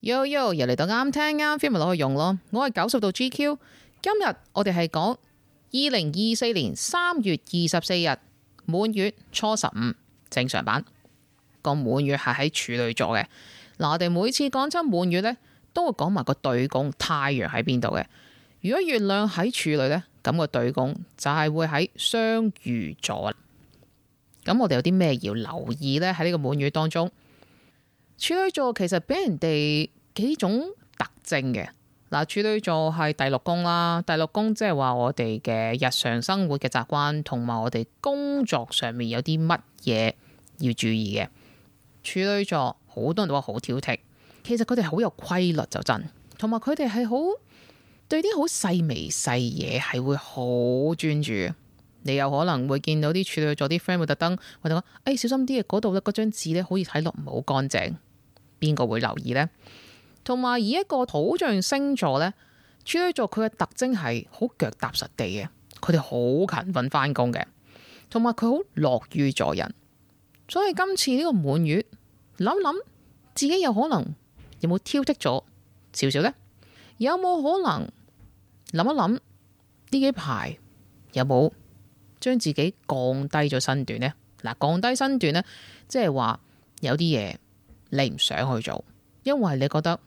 Yo yo，又嚟到啱聽啱 feel 咪攞去用咯。我係90度 GQ， 今日我哋係講2024年3月24日滿月初15正常版。個滿月係喺處女座嘅。嗱，我哋每次講親滿月呢，都會講埋個對宮太陽喺邊度嘅。如果月亮喺處女呢，咁個對宮就係會喺雙魚座。咁我哋有啲咩要留意呢？喺呢個滿月當中，處女座其實俾人哋幾種特徵嘅。嗱，處女座係第六宮啦，第六宮即係話我哋嘅日常生活嘅習慣，同埋我哋工作上面有啲乜嘢要注意嘅。處女座好多人都話好挑剔，其實佢哋好有規律就真，同埋佢哋係好對啲好細微細嘢係會好專注。你有可能會見到啲處女座啲 friend 會特登或者講，小心啲嘅，嗰度咧嗰張紙咧好似睇落唔係好乾淨。邊個會留意呢？同埋以一個土象星座呢，處女座佢嘅特徵係好腳踏實地嘅，佢哋好勤奮翻工嘅，同埋佢好樂於助人。所以今次呢個滿月，諗諗自己有可能有冇挑剔咗少少呢？有冇可能諗一諗呢幾排有冇將自己降低咗身段呢？嗱，降低身段呢，即係話有啲嘢你唔想去做，因為你覺得，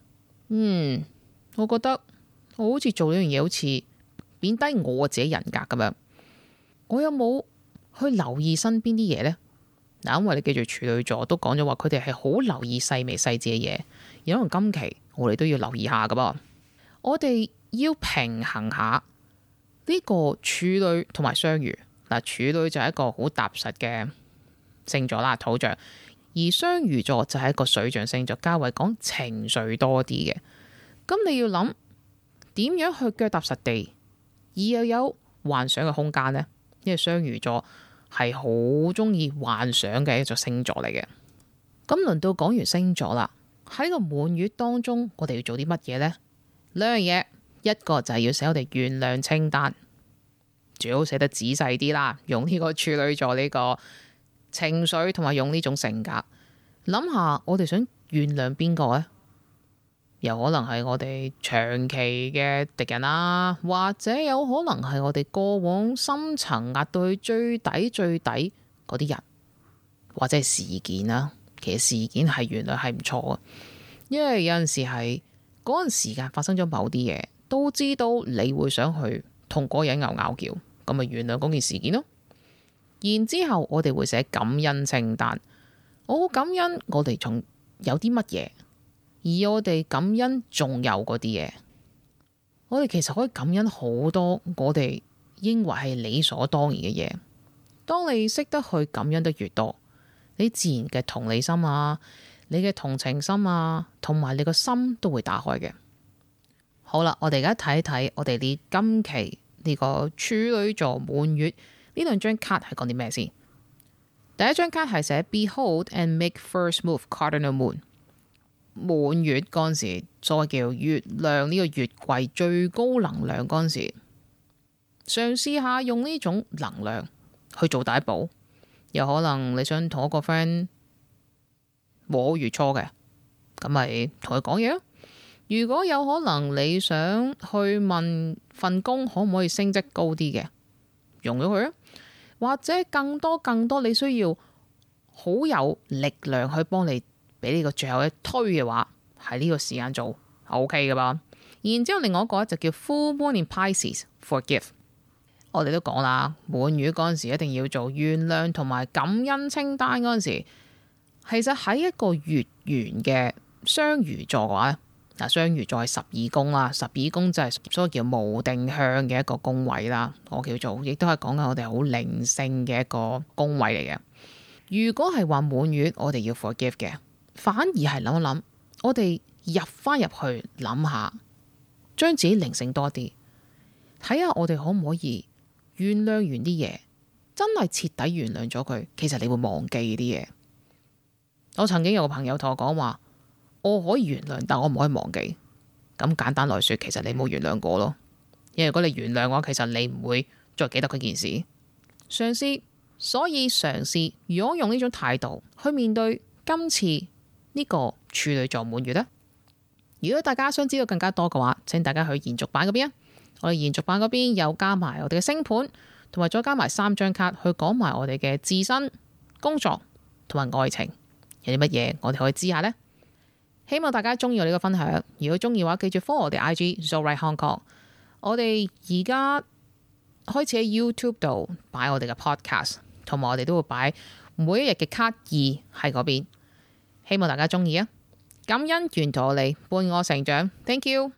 我覺得我好似做呢樣嘢好似貶低我自己人格咁樣。我有冇去留意身邊啲嘢呢？嗱，因為你記住處女座都講咗話，佢哋係好留意細微細緻嘅嘢，而可能今期我哋都要留意下噶噃。我哋要平衡下呢個處女同埋雙魚。嗱，處女就係一個好踏實嘅星座啦，土象。而雙魚座就係一個水象星座，較為講情緒多啲嘅。咁你要諗點樣去腳踏實地，而又有幻想嘅空間呢？因為雙魚座係好中意幻想嘅一座星座嚟嘅。咁輪到講完星座啦，喺個滿月當中，我哋要做啲乜嘢呢？兩樣嘢，一個就係要寫我哋原諒清單，最好寫得仔細啲啦，用呢個處女座呢個情緒同埋用呢種性格，諗下我哋想原諒邊個呢？有可能係我哋長期嘅敵人啦，或者有可能係我哋過往深層壓到去最底最底嗰啲人，或者係事件啦。其實事件係原諒係唔錯嘅，因為有陣時係嗰陣時間發生咗某啲嘢，都知道你會想去同嗰個人拗撬，咁咪原諒嗰件事件咯。然之後我哋會寫感恩清單，我好感恩我哋仲有啲乜嘢，而我哋感恩仲有嗰啲嘢。我哋其實可以感恩好多我哋認為係理所當然嘅嘢。當你識得去感恩得越多，你自然嘅同理心啊，你嘅同情心啊，同埋你個心都會打開嘅。好啦，我哋而家睇一睇我哋呢今期呢個處女座滿月呢兩張卡係講啲咩先？第一張卡係寫 Behold and make first move cardinal moon。滿月嗰陣時，所謂叫月亮呢個月季最高能量嗰陣時，嘗試下用呢種能量去做第一步。有可能你想同一個 friend 和好月初嘅，咁咪同佢講嘢咯。如果有可能你想去問份工可唔可以升職高啲嘅，用咗佢啊。或者更多你需要好有力量去幫你俾呢個最後一推嘅話，喺呢個時間做 OK 噶吧。然之後另外一個就叫 Full Moon in Pisces Forgive。我哋都講啦，滿月嗰陣時一定要做原諒同埋感恩清單嗰陣時，其實喺一個月圓嘅雙魚座嘅話，嗱，雙魚座係12宮啦，12宮就係所謂叫無定向嘅一個宮位啦，我叫做，亦都係講緊我哋好靈性嘅一個宮位嚟嘅。如果係話滿月，我哋要 forgive 嘅，反而係諗一諗，我哋入翻入去諗下，將自己靈性多啲，睇下我哋可唔可以原諒完啲嘢，真係徹底原諒咗佢，其實你會忘記啲嘢。我曾經有個朋友同我講話，我可以原諒，但我唔可以忘記。咁簡單來說，其實你冇原諒過咯。因為如果你原諒嘅話，其實你唔會再記得嗰件事。嘗試，所以嘗試，如果用呢種態度去面對今次呢個處女座滿月呢，如果大家想知道更加多嘅話，請大家去延續版嗰邊啊。我哋延續版嗰邊有加埋我哋嘅星盤，同埋再加埋3張卡去講埋我哋嘅自身、工作同埋愛情有啲乜嘢，我哋可以知下呢。希望大家中意我呢個分享，如果中意嘅話，記住 follow 我哋 IG Zorite Hong Kong。我哋而家開始喺 YouTube 度擺我哋嘅 podcast， 同埋我哋都會擺每一日嘅卡2喺嗰邊。希望大家中意啊！感恩沿途我哋伴我成長，Thank you。